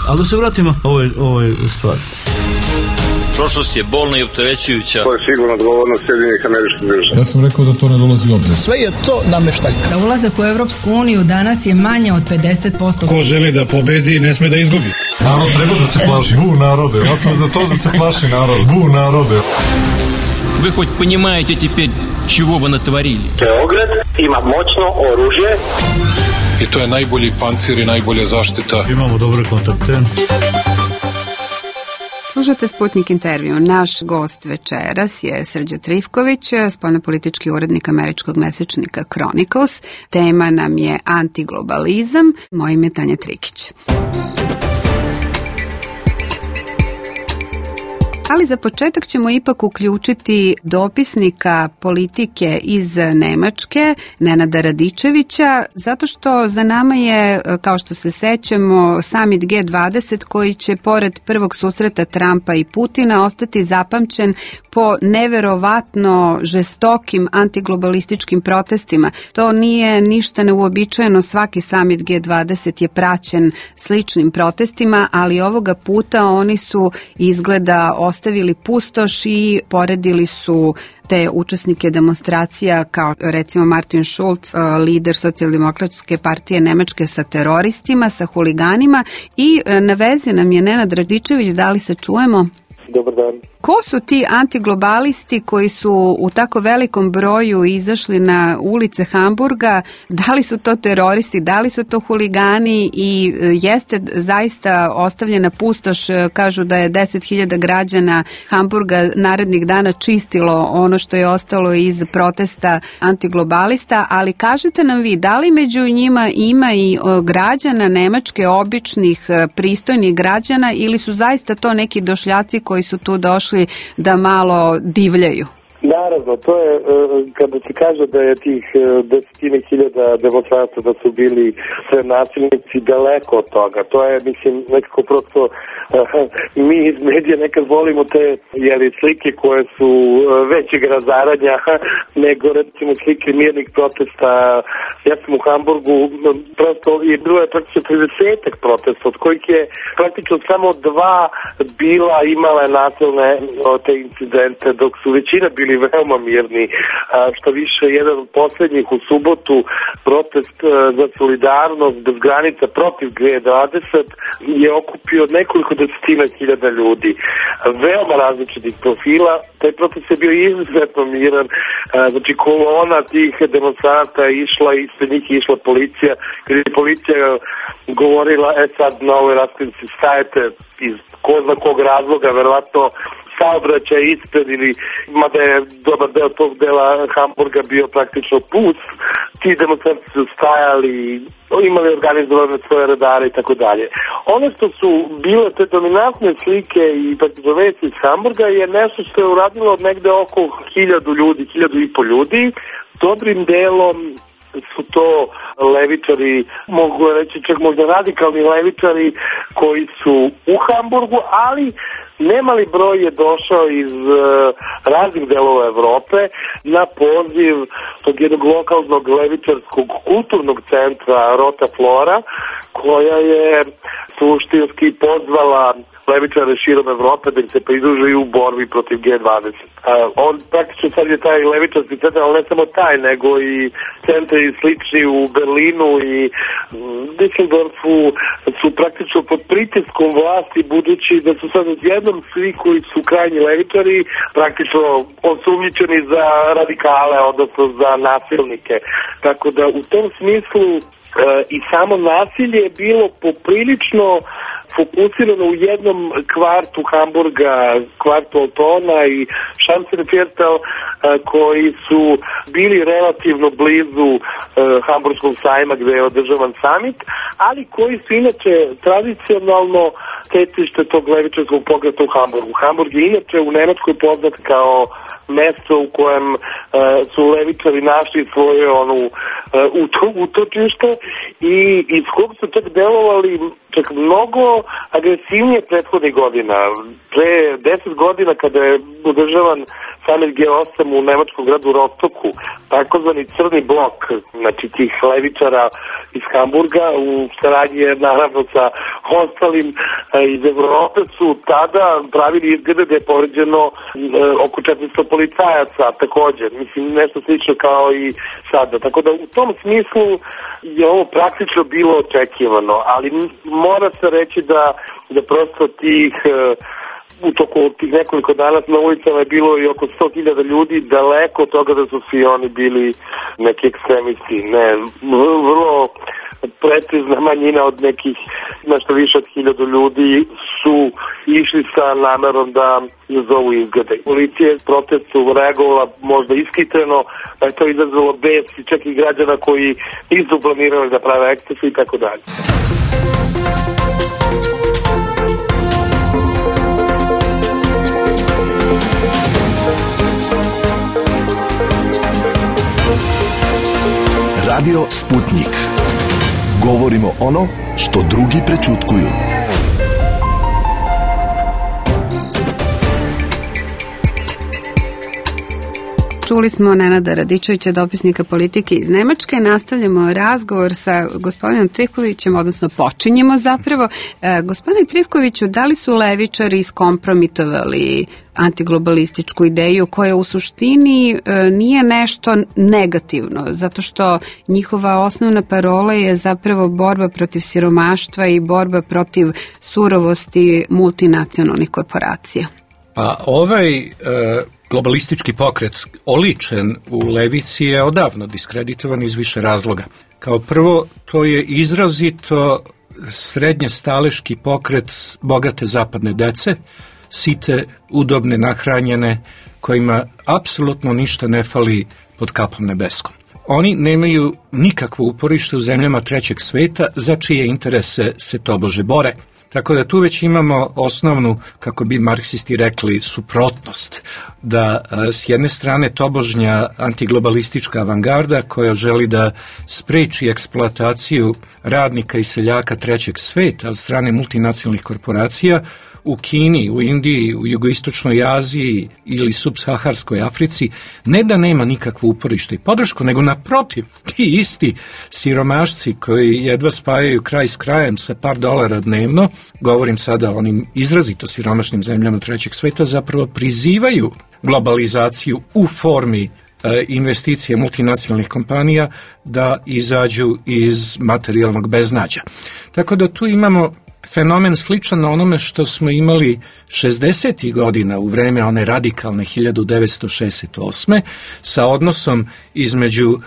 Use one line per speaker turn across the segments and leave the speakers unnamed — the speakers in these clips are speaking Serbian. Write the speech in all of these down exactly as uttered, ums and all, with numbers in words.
Ali da se vratimo ovoj, ovoj stvari.
Prošlost je bolna i opterećujuća.
To je sigurno odgovornost Sjedinjenih Američkih Država.
Ja sam rekao da to ne dolazi u obzir.
Sve je to nameštaljka.
Da ulazak u Evropsku uniju danas je manje od pedeset posto.
Ko želi da pobedi, ne sme da izgubi.
Narod treba da se plaši. Bu narode. Ja sam za to da se plaši narod. Bu narode.
Вы хоть понимаете теперь, чего вы натворили?
Beograd ima moćno oružje.
I to je najbolji pancir i najbolja zaštita.
Imamo dobre kontakte.
Slušate Sputnik intervju. Naš gost večeras je Srđan Trifković, spoljnopolitički urednik američkog mesečnika Chronicles. Tema nam je antiglobalizam. Moje ime je Tanja Trikić. Ali za početak ćemo ipak uključiti dopisnika politike iz Nemačke, Nenada Radičevića, zato što za nama je, kao što se sećamo, summit G dvadeset koji će pored prvog susreta Trumpa i Putina ostati zapamćen po neverovatno žestokim antiglobalističkim protestima. To nije ništa neuobičajeno, svaki summit G dvadeset je praćen sličnim protestima, ali ovoga puta oni su izgleda ostavili pustoš i poredili su te učesnike demonstracija kao recimo Martin Schulz, lider socijaldemokratske partije Nemačke, sa teroristima, sa huliganima i na vezi nam je Nenad Radičević, da li se čujemo?
Dobar dan.
Ko su ti antiglobalisti koji su u tako velikom broju izašli na ulice Hamburga? Da li su to teroristi, da li su to huligani i jeste zaista ostavljena pustoš? Kažu da je deset hiljada građana Hamburga narednih dana čistilo ono što je ostalo iz protesta antiglobalista, ali kažete nam vi, da li među njima ima i građana Nemačke, običnih, pristojnih građana, ili su zaista to neki došljaci koji su tu došli da malo divljaju?
Naravno, to je kada se kaže da je tih desetine hiljada demonstranata da su bili sve nasilnici, daleko od toga. To je, mislim, nekako prosto mi iz medija nekad volimo te jeli, slike koje su većeg razaranja nego recimo slike mirnih protesta. Ja sam u Hamburgu, prosto je bilo je praktično tridesetak protesta, od kojih je praktično samo dva bila imala nasilne te incidente, dok su većina bili veoma mirni. Što više, jedan od posljednjih u subotu, protest za solidarnost bez granica protiv G dvadeset, je okupio nekoliko desetina hiljada ljudi. Veoma različitih profila. Taj protest je bio izuzetno miran. Znači, kolona tih demonstranta je išla i ispred njih je išla policija. Kad je policija govorila, e sad na ovoj raskrivici stajete iz ko zna kog razloga, verovatno saobraćaj ispred, ili mada je dobar deo tog dela Hamburga bio praktično pust, ti demonstranti su stajali, imali organizovane svoje radare i tako dalje. Ono što su bile te dominantne slike i praktično vesti iz Hamburga je nešto što je uradilo negde oko hiljadu ljudi, hiljadu i po ljudi. Dobrim delom su to levičari, mogu reći čak možda radikalni levičari koji su u Hamburgu, ali nemali broj je došao iz uh, raznih delova Evrope na poziv tog jednog lokalnog levičarskog kulturnog centra Rota Flora, koja je suštinski pozvala levičare širom Evrope da im se pridruže u borbi protiv G dvadeset. Uh, on praktično sad je taj levičarski centar, ali ne samo taj, nego i centri slični u Berlinu i Düsseldorfu su praktično pod pritiskom vlasti, budući da su sad odjednom svi koji su krajnji levičari praktično osumnjičeni za radikale, odnosno za nasilnike. Tako da u tom smislu uh, i samo nasilje je bilo poprilično fokusirano u jednom kvartu Hamburga, kvartu Altona i Schanzenviertel, koji su bili relativno blizu uh, Hamburgskog sajma gde je održavan summit, ali koji su inače tradicionalno tecište tog levičarskog pokreta u Hamburgu. Hamburg je inače u Nemačkoj poznat kao mesto u kojem uh, su levičari našli svoje onu uh, utočište i iz kog su čak delovali čak mnogo agresivnije prethodnih godina. Pre deset godina kada je održavan samit G osam u nemačkom gradu Rostoku, takozvani crni blok, znači tih levičara iz Hamburga u saradnji naravno sa ostalim iz Evrope su tada pravili izglede da je povređeno e, oko četiristo policajaca također, mislim nešto slično kao i sada, tako da u tom smislu je ovo praktično bilo očekivano, ali mora se reći da, da prosto tih e, u toku tih nekoliko dana na ulicama je bilo i oko sto hiljada ljudi, daleko od toga da su svi oni bili neki ekstremisti, ne, vrlo precizna manjina od nekih nešto više od hiljadu ljudi su išli sa namerom da izazovu izglede. Policija je protestu reagovala možda ishitreno, da je to izazvalo bes i čak i građana koji nisu planirali da prave ekscese i tako dalje.
Radio Sputnik. Govorimo ono što drugi prećutkuju.
Čuli smo Nenada Radičevića, dopisnika politike iz Nemačke. Nastavljamo razgovor sa gospodinom Trifkovićem, odnosno počinjemo zapravo. E, gospodine Trifkoviću, da li su levičari iskompromitovali antiglobalističku ideju koja u suštini e, nije nešto negativno, zato što njihova osnovna parola je zapravo borba protiv siromaštva i borba protiv surovosti multinacionalnih korporacija?
Pa ovaj e, globalistički pokret oličen u levici je odavno diskreditovan iz više razloga. Kao prvo, to je izrazito srednje staleški pokret bogate zapadne dece, site, udobne, nahranjene, kojima apsolutno ništa ne fali pod kapom nebeskom. Oni nemaju nikakvo uporište u zemljama trećeg sveta za čije interese se tobože bore. Tako da tu već imamo osnovnu, kako bi marksisti rekli, suprotnost. Da s jedne strane tobožnja antiglobalistička avangarda koja želi da spreči eksploataciju radnika i seljaka trećeg sveta od strane multinacionalnih korporacija u Kini, u Indiji, u jugoistočnoj Aziji ili subsaharskoj Africi, ne da nema nikakvo uporište i podršku, nego naprotiv, ti isti siromašci koji jedva spajaju kraj s krajem sa par dolara dnevno, govorim sada o onim izrazito siromašnim zemljama trećeg sveta, zapravo prizivaju globalizaciju u formi e, investicije multinacionalnih kompanija da izađu iz materijalnog beznađa. Tako da tu imamo fenomen sličan na onome što smo imali šezdesetih godina u vreme one radikalne hiljadu devetsto šezdeset osme sa odnosom između e,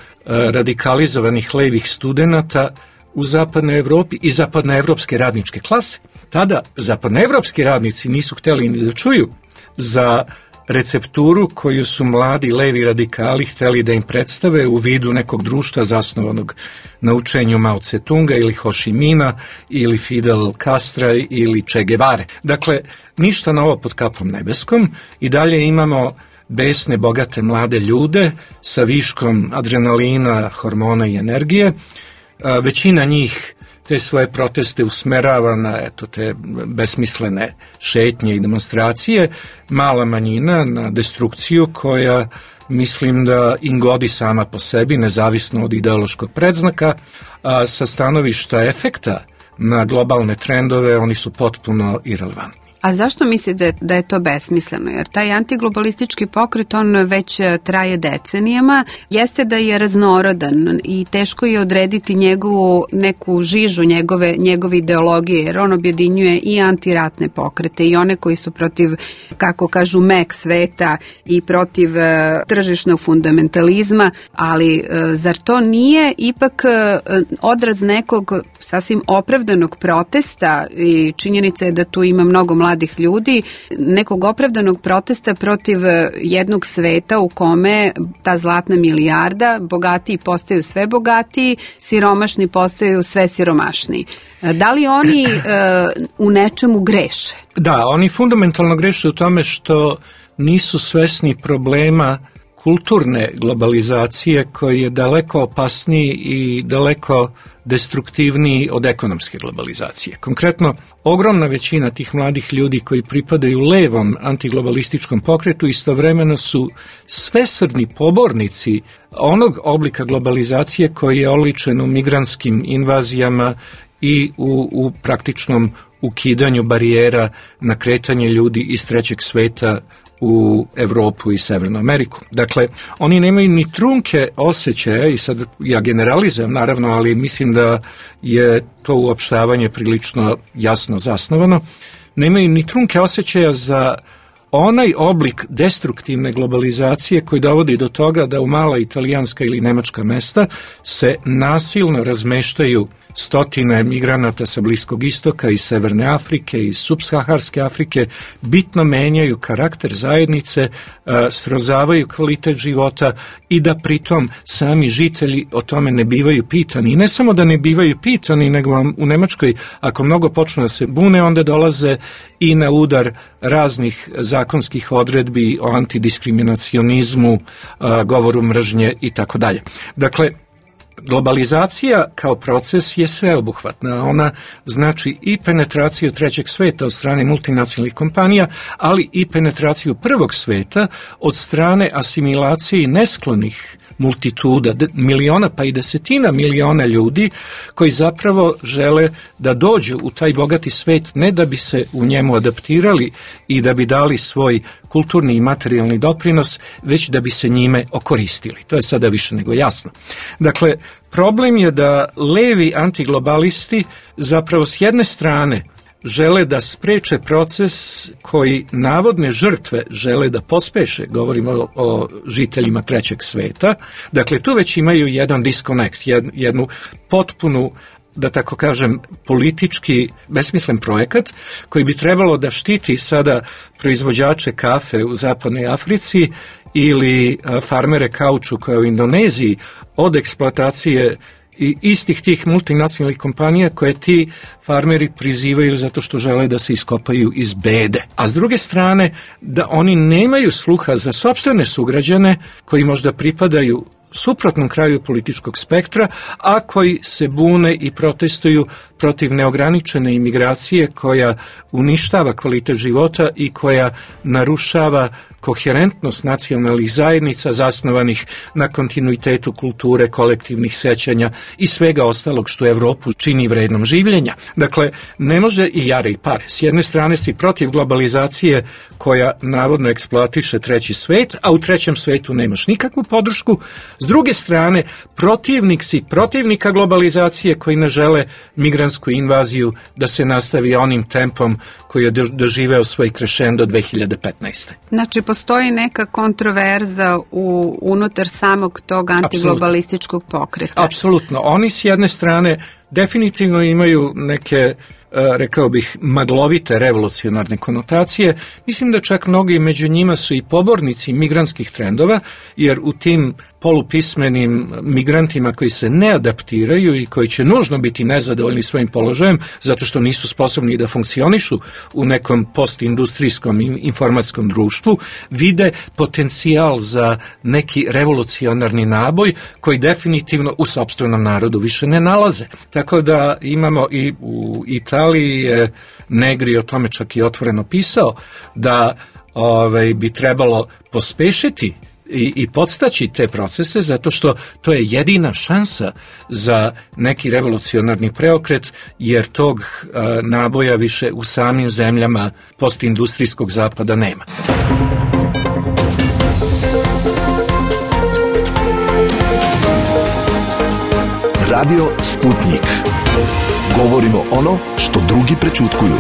radikalizovanih levih studenata u zapadnoj Evropi i zapadnoevropske radničke klase. Tada zapadnoevropski radnici nisu hteli ni da čuju za recepturu koju su mladi levi radikali hteli da im predstave u vidu nekog društva zasnovanog na učenju Mao Tse-tunga ili Ho Chi Mina ili Fidel Castra ili Che Guevare. Dakle, ništa novo pod kapom nebeskom i dalje imamo besne, bogate mlade ljude sa viškom adrenalina, hormona i energije. Većina njih te svoje proteste usmerava na eto, te besmislene šetnje i demonstracije, mala manjina na destrukciju koja mislim da im godi sama po sebi, nezavisno od ideološkog predznaka, a sa stanovišta efekta na globalne trendove oni su potpuno irelevantni.
A zašto mislite da je to besmisleno? Jer taj antiglobalistički pokret, on već traje decenijama, jeste da je raznorodan i teško je odrediti njegovu neku žižu njegove, njegove ideologije, jer on objedinjuje i antiratne pokrete i one koji su protiv, kako kažu, mek sveta i protiv e, tržišnog fundamentalizma, ali e, zar to nije ipak e, odraz nekog sasvim opravdanog protesta i činjenica je da tu ima mnogo mladih mladih ljudi, nekog opravdanog protesta protiv jednog sveta u kome ta zlatna milijarda, bogatiji postaju sve bogatiji, siromašni postaju sve siromašniji. Da li oni e, u nečemu greše?
Da, oni fundamentalno greše u tome što nisu svesni problema kulturne globalizacije koji je daleko opasniji i daleko destruktivniji od ekonomske globalizacije. Konkretno, ogromna većina tih mladih ljudi koji pripadaju levom antiglobalističkom pokretu istovremeno su svesrdni pobornici onog oblika globalizacije koji je oličen u migrantskim invazijama i u, u praktičnom ukidanju barijera na kretanje ljudi iz trećeg sveta u Evropu i Severnu Ameriku. Dakle, oni nemaju ni trunke osjećaja, i sad ja generalizujem naravno, ali mislim da je to uopštavanje prilično jasno zasnovano, nemaju ni trunke osjećaja za onaj oblik destruktivne globalizacije koji dovodi do toga da u mala italijanska ili nemačka mesta se nasilno razmeštaju stotine migranata sa Bliskog istoka, iz Severne Afrike, iz subsaharske Afrike, bitno menjaju karakter zajednice, srozavaju kvalitet života i da pritom sami žitelji o tome ne bivaju pitani. I ne samo da ne bivaju pitani, nego vam u Nemačkoj, ako mnogo počnu da se bune, onda dolaze i na udar raznih zakonskih odredbi o antidiskriminacionizmu, govoru mržnje i tako dalje. Dakle, globalizacija kao proces je sveobuhvatna. Ona znači i penetraciju trećeg sveta od strane multinacionalnih kompanija, ali i penetraciju prvog sveta od strane asimilacije nesklonih multituda, miliona pa i desetina miliona ljudi koji zapravo žele da dođu u taj bogati svet ne da bi se u njemu adaptirali i da bi dali svoj kulturni i materijalni doprinos, već da bi se njime okoristili. To je sada više nego jasno. Dakle, problem je da levi antiglobalisti zapravo s jedne strane žele da spreče proces koji navodne žrtve žele da pospeše, govorimo o, o žiteljima trećeg sveta. Dakle, tu već imaju jedan disconnect, jednu potpunu, da tako kažem, politički besmislen projekat koji bi trebalo da štiti sada proizvođače kafe u zapadnoj Africi ili farmere kaučuka u Indoneziji od eksploatacije i istih tih multinacionalnih kompanija koje ti farmeri prizivaju zato što žele da se iskopaju iz bede. A s druge strane, da oni nemaju sluha za sopstvene sugrađane koji možda pripadaju suprotnom kraju političkog spektra, a koji se bune i protestuju protiv neograničene imigracije koja uništava kvalitet života i koja narušava koherentnost nacionalnih zajednica zasnovanih na kontinuitetu kulture, kolektivnih sećanja i svega ostalog što Evropu čini vrednom življenja. Dakle, ne može i jare i pare. S jedne strane si protiv globalizacije koja navodno eksploatiše treći svet, a u trećem svetu nemaš nikakvu podršku. S druge strane, protivnik si protivnika globalizacije koji ne žele migrantsku invaziju da se nastavi onim tempom koji je doživeo svoj krešendo dve hiljade petnaeste.
Znači, postoji neka kontroverza u, unutar samog tog antiglobalističkog pokreta.
Apsolutno. Oni s jedne strane definitivno imaju neke, rekao bih, maglovite revolucionarne konotacije. Mislim da čak mnogi među njima su i pobornici migrantskih trendova, jer u tim polupismenim migrantima koji se ne adaptiraju i koji će nužno biti nezadovoljni svojim položajem zato što nisu sposobni da funkcionišu u nekom postindustrijskom i informatskom društvu, vide potencijal za neki revolucionarni naboj koji definitivno u sopstvenom narodu više ne nalaze. Tako da imamo i u Italiji je Negri o tome čak i otvoreno pisao da ovaj, bi trebalo pospešiti i, i podstaći te procese zato što to je jedina šansa za neki revolucionarni preokret, jer tog a, naboja više u samim zemljama postindustrijskog zapada nema.
Radio Sputnik. Govorimo ono što drugi prećutkuju.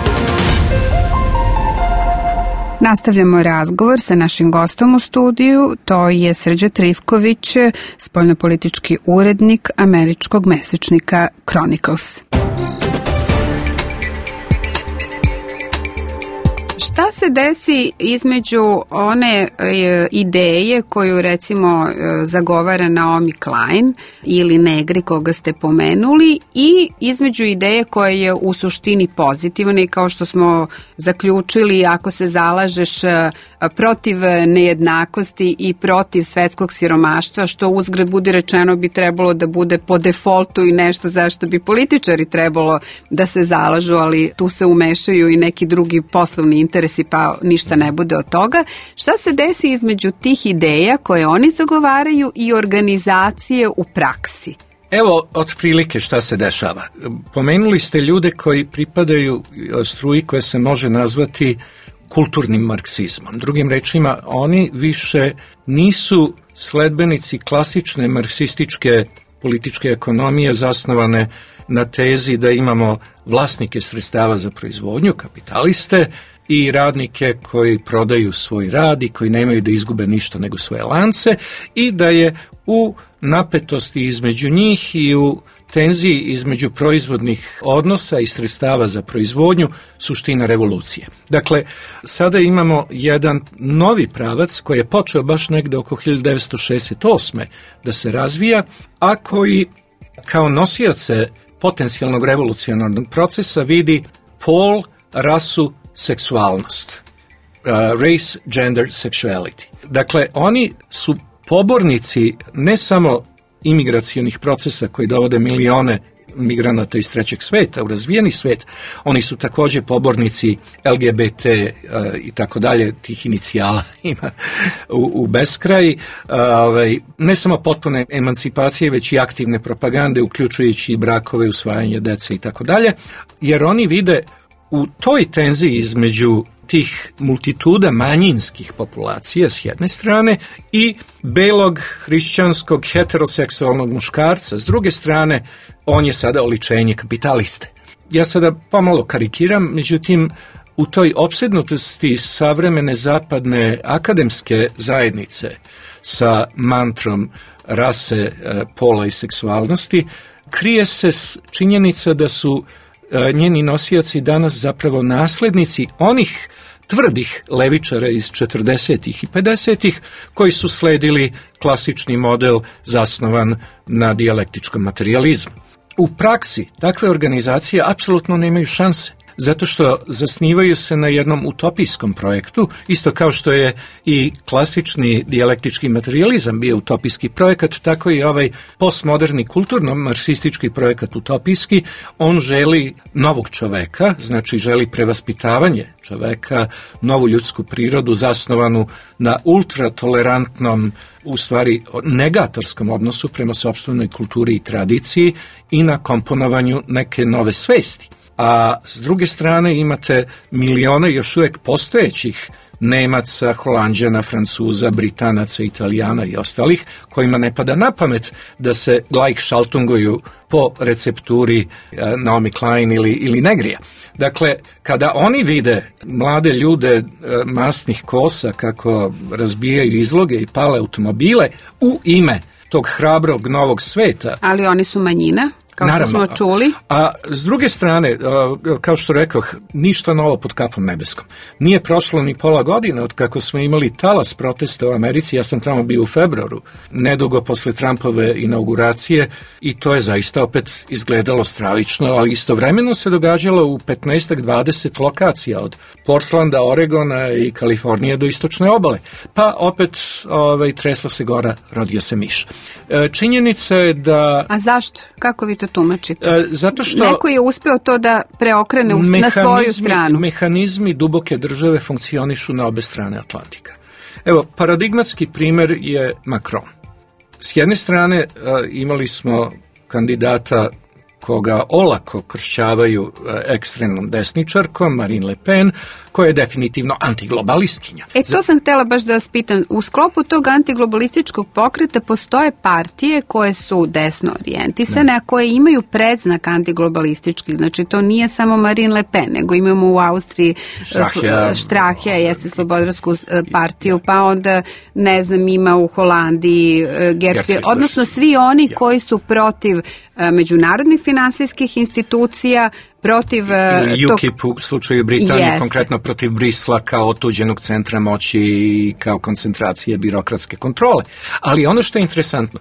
Nastavljamo razgovor sa našim gostom u studiju, to je Srđa Trifković, spoljnopolitički urednik američkog mesečnika Chronicles. Šta se desi između one e, ideje koju recimo e, zagovara Naomi Klein ili Negri koga ste pomenuli i između ideje koja je u suštini pozitivna i kao što smo zaključili, ako se zalažeš protiv nejednakosti i protiv svetskog siromaštva, što uzgred budi rečeno bi trebalo da bude po defaultu i nešto zašto bi političari trebalo da se zalažu, ali tu se umešaju i neki drugi poslovni interesi, pa ništa ne bude od toga. Šta se desi između tih ideja koje oni zagovaraju i organizacije u praksi?
Evo, otprilike šta se dešava. Pomenuli ste ljude koji pripadaju struji koja se može nazvati kulturnim marksizmom. Drugim rečima, oni više nisu sledbenici klasične marksističke političke ekonomije zasnovane na tezi da imamo vlasnike sredstava za proizvodnju, kapitaliste, i radnike koji prodaju svoj rad i koji nemaju da izgube ništa nego svoje lance, i da je u napetosti između njih i u tenziji između proizvodnih odnosa i sredstava za proizvodnju suština revolucije. Dakle, sada imamo jedan novi pravac koji je počeo baš negde oko hiljadu devetsto šezdeset osme da se razvija, a koji kao nosioce potencijalnog revolucionarnog procesa vidi pol, rasu, seksualnost. Uh, race, gender, sexuality. Dakle, oni su pobornici ne samo imigracionih procesa koji dovode milione migranata iz trećeg sveta u razvijeni svet, oni su također pobornici L G B T uh, i tako dalje, tih inicijala ima u, u beskraj, uh, ovaj, ne samo potpune emancipacije, već i aktivne propagande, uključujući i brakove, usvajanje dece i tako dalje, jer oni vide u toj tenziji između tih multituda manjinskih populacija s jedne strane i belog, hrišćanskog, heteroseksualnog muškarca s druge strane, on je sada oličenje kapitaliste. Ja sada pomalo karikiram, međutim, u toj opsednutosti savremene zapadne akademske zajednice sa mantrom rase, pola i seksualnosti, krije se činjenica da su njeni nosioci danas zapravo naslednici onih tvrdih levičara iz četrdesetih i pedesetih koji su sledili klasični model zasnovan na dijalektičkom materijalizmu. U praksi takve organizacije apsolutno nemaju šanse, zato što zasnivaju se na jednom utopijskom projektu, isto kao što je i klasični dijalektički materijalizam bio utopijski projekat, tako i ovaj postmoderni kulturno-marksistički projekat utopijski. On želi novog čoveka, znači želi prevaspitavanje čoveka, novu ljudsku prirodu zasnovanu na ultratolerantnom, u stvari negatorskom odnosu prema sopstvenoj kulturi i tradiciji i na komponovanju neke nove svesti. A s druge strane imate milione još uvijek postojećih Nemaca, Holanđana, Francuza, Britanaca, Italijana i ostalih, kojima ne pada na pamet da se gleichschaltunguju po recepturi Naomi Klein ili, ili Negrija. Dakle, kada oni vide mlade ljude masnih kosa kako razbijaju izloge i pale automobile u ime tog hrabrog novog sveta.
Ali oni su manjina? Kao što
Naravno,
smo čuli.
A, a s druge strane, a, kao što rekoh, ništa novo pod kapom nebeskom. Nije prošlo ni pola godine od kako smo imali talas protesta u Americi, ja sam tamo bio u februaru, nedugo posle Trumpove inauguracije, i to je zaista opet izgledalo stravično, ali istovremeno se događalo u petnaest do dvadeset lokacija, od Portlanda, Oregona i Kalifornije do istočne obale. Pa opet ovaj, tresla se gora, rodio se miš. E, činjenica je da...
A zašto? Kako vi to tumačite?
E, zato što
neko je uspeo to da preokrene na svoju stranu.
Mehanizmi duboke države funkcionišu na obe strane Atlantika. Evo, paradigmatski primjer je Macron. S jedne strane e, imali smo kandidata koga olako kršćavaju ekstremnom desničarkom, Marine Le Pen, koja je definitivno antiglobalistkinja.
E, to sam htjela baš da vas pitam. U sklopu tog antiglobalističkog pokreta postoje partije koje su desno orijentisane, a koje imaju predznak antiglobalistički. Znači, to nije samo Marine Le Pen, nego imamo u Austriji
Strahija,
Strahija jeste slobodarsku partiju, pa onda, ne znam, ima u Holandiji Geert Wilders, odnosno svi oni ja. koji su protiv međunarodnih finansijskih institucija, protiv
ili U K I P u slučaju Britanije, jest. konkretno protiv Brisla kao otuđenog centra moći i kao koncentracije birokratske kontrole. Ali ono što je interesantno,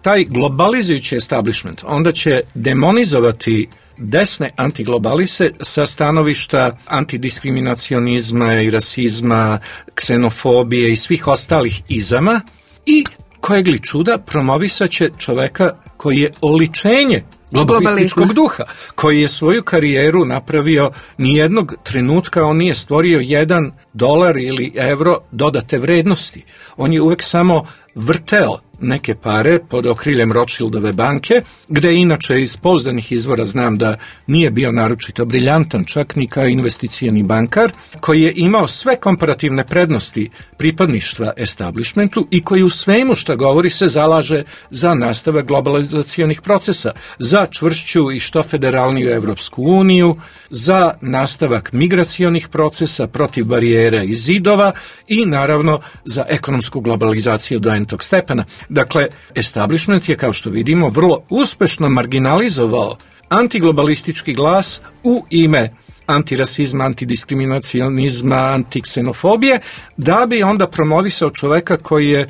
taj globalizujući establishment onda će demonizovati desne antiglobalise sa stanovišta antidiskriminacionizma i rasizma, ksenofobije i svih ostalih izama i kojeg li čuda promovisaće čoveka koji je oličenje globalističkog duha, koji je svoju karijeru napravio, nijednog trenutka on nije stvorio jedan dolar ili evro dodate vrednosti. On je uvek samo vrteo neke pare pod okriljem Rothschildove banke, gde inače iz pouzdanih izvora znam da nije bio naročito briljantan, čak ni kao investicioni bankar, koji je imao sve komparativne prednosti pripadništva establishmentu i koji u svemu što govori se zalaže za nastavak globalizacionih procesa, za čvršću i što federalniju Evropsku uniju, za nastavak migracionih procesa protiv barijera i zidova i naravno za ekonomsku globalizaciju do entog stepena. Dakle, establishment je, kao što vidimo, vrlo uspešno marginalizovao antiglobalistički glas u ime antirasizma, antidiskriminacionizma, antiksenofobije, da bi onda promovisao čoveka koji je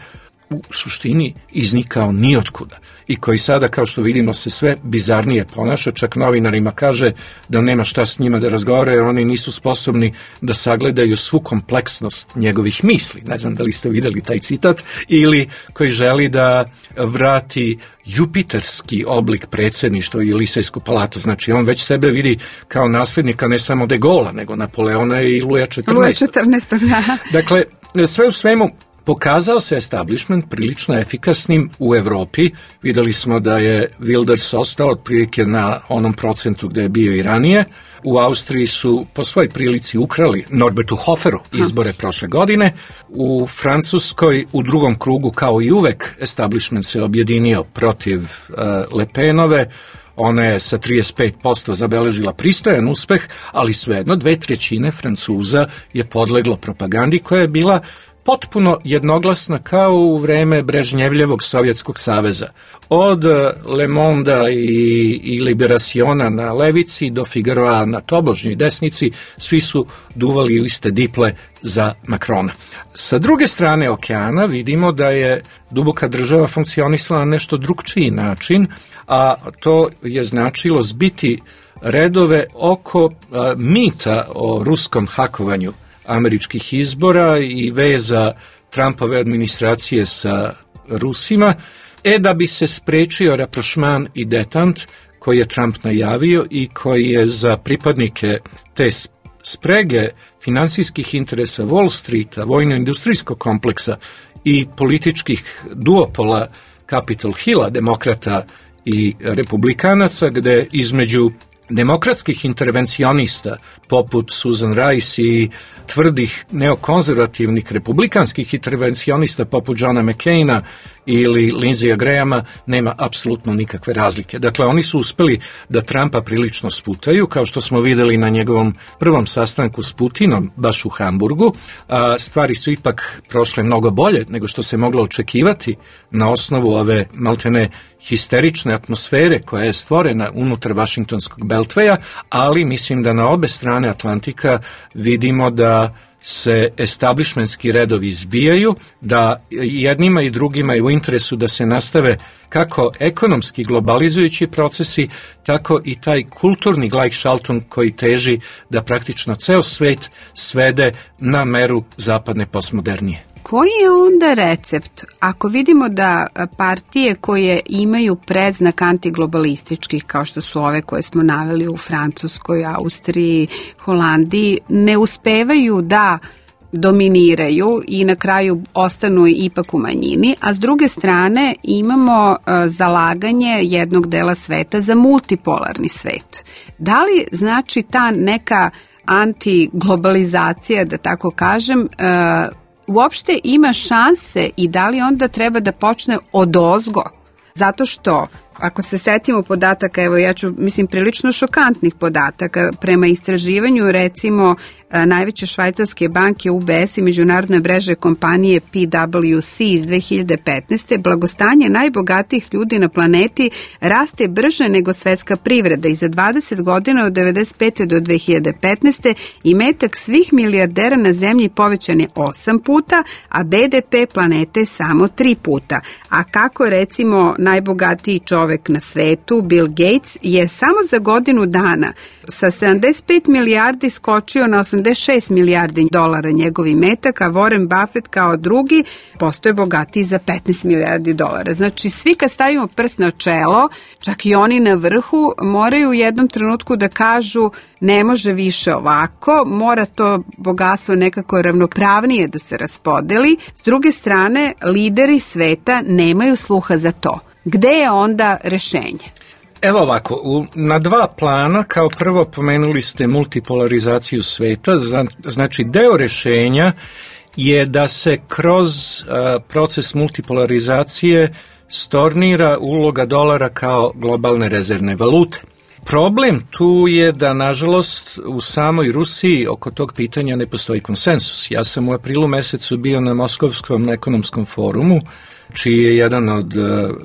u suštini iznikao nijotkuda i koji sada, kao što vidimo, se sve bizarnije ponaša, čak novinarima kaže da nema šta s njima da razgovara jer oni nisu sposobni da sagledaju svu kompleksnost njegovih misli. Ne znam da li ste videli taj citat, ili koji želi da vrati jupiterski oblik predsjedništva i Lisejsku palatu. Znači, on već sebe vidi kao nasljednika ne samo de Gaulea, nego Napoleona i Luja četrnaestog.
Luja četrnaestog, da.
Dakle, sve u svemu, pokazao se establishment prilično efikasnim u Evropi. Videli smo da je Wilders ostao otprilike na onom procentu gde je bio i ranije. U Austriji su po svojoj prilici ukrali Norbertu Hoferu izbore prošle godine. U Francuskoj u drugom krugu, kao i uvek, establishment se objedinio protiv uh, Le Penove. Ona je sa trideset pet posto zabeležila pristojan uspeh, ali svejedno dve trećine Francuza je podleglo propagandi koja je bila potpuno jednoglasna kao u vreme Brežnjevljevog Sovjetskog saveza. Od Le Mondea i, i Liberaciona na levici do Figaroa na tobožnjoj desnici, svi su duvali u iste diple za Macrona. Sa druge strane okeana vidimo da je duboka država funkcionisala na nešto drugčiji način, a to je značilo zbiti redove oko a, mita o ruskom hakovanju američkih izbora i veza Trumpove administracije sa Rusima, e da bi se sprečio rapprochement i detant koji je Trump najavio i koji je za pripadnike te sprege finansijskih interesa Wall Streeta, vojno-industrijskog kompleksa i političkih duopola Capitol Hilla, demokrata i republikanaca, gde između demokratskih intervencionista poput Susan Rice i tvrdih neokonzervativnih republikanskih intervencionista poput Johna McCaina ili Lindsaya Grahama nema apsolutno nikakve razlike. Dakle, oni su uspeli da Trumpa prilično sputaju, kao što smo videli na njegovom prvom sastanku s Putinom, baš u Hamburgu. A, stvari su ipak prošle mnogo bolje nego što se moglo očekivati na osnovu ove maltene histerične atmosfere koja je stvorena unutar Vašingtonskog beltveja, ali mislim da na obe strane Atlantika vidimo da se establishmentski redovi izbijaju, da jednima i drugima je u interesu da se nastave kako ekonomski globalizujući procesi, tako i taj kulturni Gleichschaltung koji teži da praktično ceo svet svede na meru zapadne postmodernije.
Koji je onda recept? Ako vidimo da partije koje imaju predznak antiglobalističkih, kao što su ove koje smo naveli u Francuskoj, Austriji, Holandiji, ne uspevaju da dominiraju i na kraju ostanu ipak u manjini, a s druge strane imamo uh, zalaganje jednog dela sveta za multipolarni svet. Da li znači ta neka antiglobalizacija, da tako kažem, uh, uopšte ima šanse i da li onda treba da počne odozgo? Zato što, ako se setimo podataka, evo ja ću, mislim, prilično šokantnih podataka, prema istraživanju recimo najveće švajcarske banke U B S i međunarodne mreže kompanije P W C iz dve hiljade petnaeste. blagostanje najbogatijih ljudi na planeti raste brže nego svetska privreda i za dvadeset godina od devedeset pete do dve hiljade petnaeste. imetak svih milijardera na zemlji povećan je osam puta, a B D P planete samo tri puta. A kako recimo najbogatiji čovek čovek na svetu, Bill Gates, je samo za godinu dana sa sedamdeset pet milijardi skočio na osamdeset šest milijardi dolara njegovi metak, a Warren Buffett kao drugi postoje bogatiji za petnaest milijardi dolara. Znači, svi kad stavimo prst na čelo, čak i oni na vrhu, moraju u jednom trenutku da kažu ne može više ovako, mora to bogatstvo nekako ravnopravnije da se raspodeli. S druge strane, lideri sveta nemaju sluha za to. Gde je onda rešenje?
Evo ovako, u, na dva plana, kao prvo pomenuli ste multipolarizaciju sveta, znači deo rešenja je da se kroz a, proces multipolarizacije stornira uloga dolara kao globalne rezervne valute. Problem tu je da, nažalost, u samoj Rusiji oko tog pitanja ne postoji konsensus. Ja sam u aprilu mesecu bio na Moskovskom ekonomskom forumu, čiji je jedan od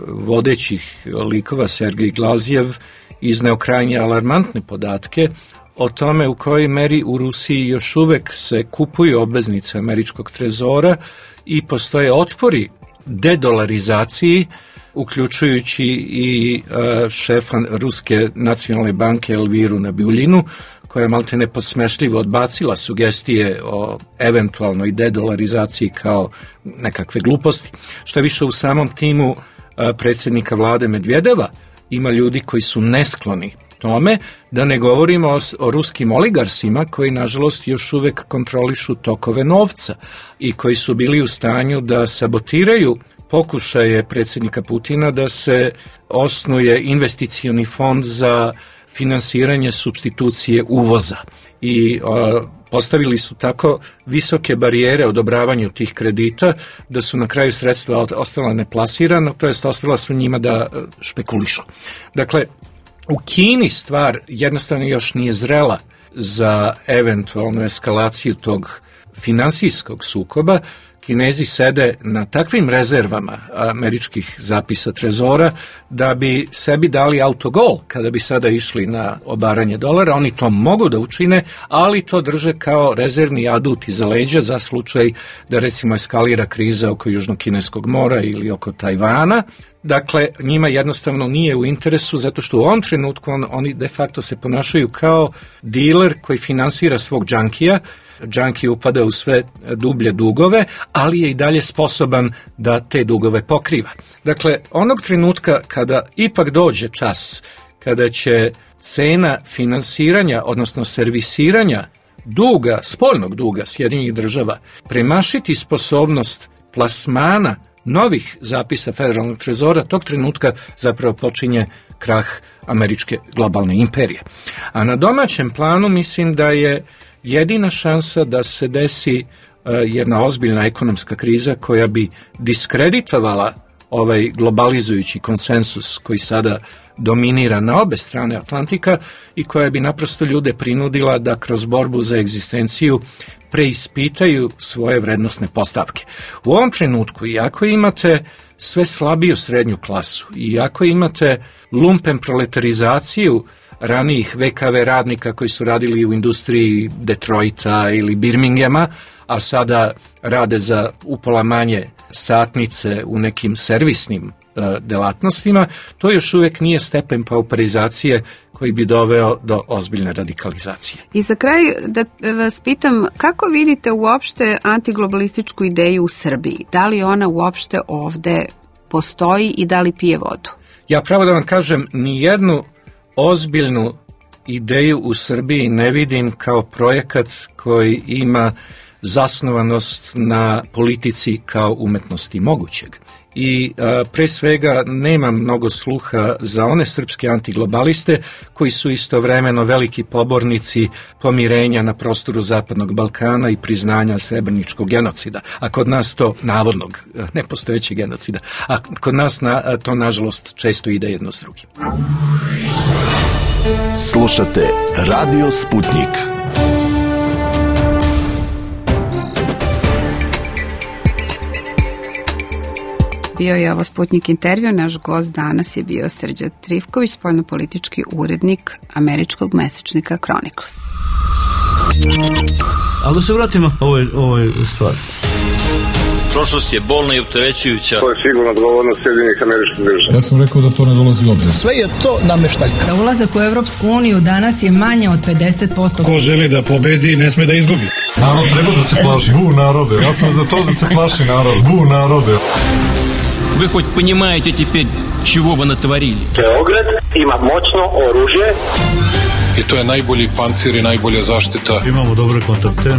vodećih likova, Sergej Glazjev, izneo krajnje alarmantne podatke o tome u kojoj meri u Rusiji još uvek se kupuju obveznice američkog trezora i postoje otpori dedolarizaciji, uključujući i uh, šefa Ruske nacionalne banke Elviru Nabiuljinu, koja je maltene podsmešljivo odbacila sugestije o eventualnoj dedolarizaciji kao nekakve gluposti. Što više, u samom timu uh, predsjednika vlade Medvedeva ima ljudi koji su neskloni tome, da ne govorimo o, o ruskim oligarsima koji, nažalost, još uvek kontrolišu tokove novca i koji su bili u stanju da sabotiraju pokušaje predsjednika Putina da se osnuje investicioni fond za finansiranje supstitucije uvoza. I a, postavili su tako visoke barijere odobravanju tih kredita da su na kraju sredstva ostala neplasirana, to jest ostala su njima da špekulišu. Dakle, u Kini stvar jednostavno još nije zrela za eventualnu eskalaciju tog finansijskog sukoba. Kinezi sede na takvim rezervama američkih zapisa trezora da bi sebi dali autogol kada bi sada išli na obaranje dolara. Oni to mogu da učine, ali to drže kao rezervni adut iza leđa za slučaj da, recimo, eskalira kriza oko Južnokineskog mora ili oko Tajvana. Dakle, njima jednostavno nije u interesu, zato što u ovom trenutku on, oni de facto se ponašaju kao diler koji finansira svog džankija. Džanki upada u sve dublje dugove, ali je i dalje sposoban da te dugove pokriva. Dakle, onog trenutka kada ipak dođe čas, kada će cena finansiranja, odnosno servisiranja duga, spoljnog duga Sjedinjenih država, premašiti sposobnost plasmana novih zapisa federalnog trezora, tog trenutka zapravo počinje krah američke globalne imperije. A na domaćem planu mislim da je jedina šansa da se desi uh, jedna ozbiljna ekonomska kriza koja bi diskreditovala ovaj globalizujući konsensus koji sada dominira na obe strane Atlantika i koja bi naprosto ljude prinudila da kroz borbu za egzistenciju preispitaju svoje vrednosne postavke. U ovom trenutku, iako imate sve slabiju srednju klasu, iako imate lumpen proletarizaciju ranijih ve ka ve radnika koji su radili u industriji Detroita ili Birminghama, a sada rade za upola manje satnice u nekim servisnim e, delatnostima, to još uvijek nije stepen pauperizacije koji bi doveo do ozbiljne radikalizacije.
I za kraj da vas pitam, kako vidite uopšte antiglobalističku ideju u Srbiji? Da li ona uopšte ovde postoji i da li pije vodu?
Ja pravo da vam kažem, ni jednu ozbiljnu ideju u Srbiji ne vidim kao projekat koji ima zasnovanost na politici kao umetnosti mogućeg. I a, pre svega nema mnogo sluha za one srpske antiglobaliste koji su istovremeno veliki pobornici pomirenja na prostoru Zapadnog Balkana i priznanja srebreničkog genocida. A kod nas to navodnog, nepostojećeg genocida. A kod nas na, to nažalost često ide jedno s drugim.
Slušate Radio Sputnik.
Bio je ovo Sputnik intervju, naš gost danas je bio Srđan Trifković, spoljnopolitički urednik američkog mesečnika Chronicles.
Ali da se vratimo ovoj, ovoj stvari.
Prošlost je bolna i opterećujuća.
To je sigurno odgovornost Sjedinjenih Američkih Država.
Ja sam rekao da to ne dolazi u obzir.
Sve je to nameštaljka.
Za ulazak u Evropsku uniju danas je manje od pedeset posto.
Ko želi da pobedi, ne sme da izgubi.
Narod treba da se plaši. Bu narode. Ja sam za to da se plaši narod. Bu narode.
Вы хоть понимаете теперь, чего вы натворили?
Beograd ima moćno oružje.
I to je najbolji pancir i najbolja zaštita.
Imamo dobre kontakte.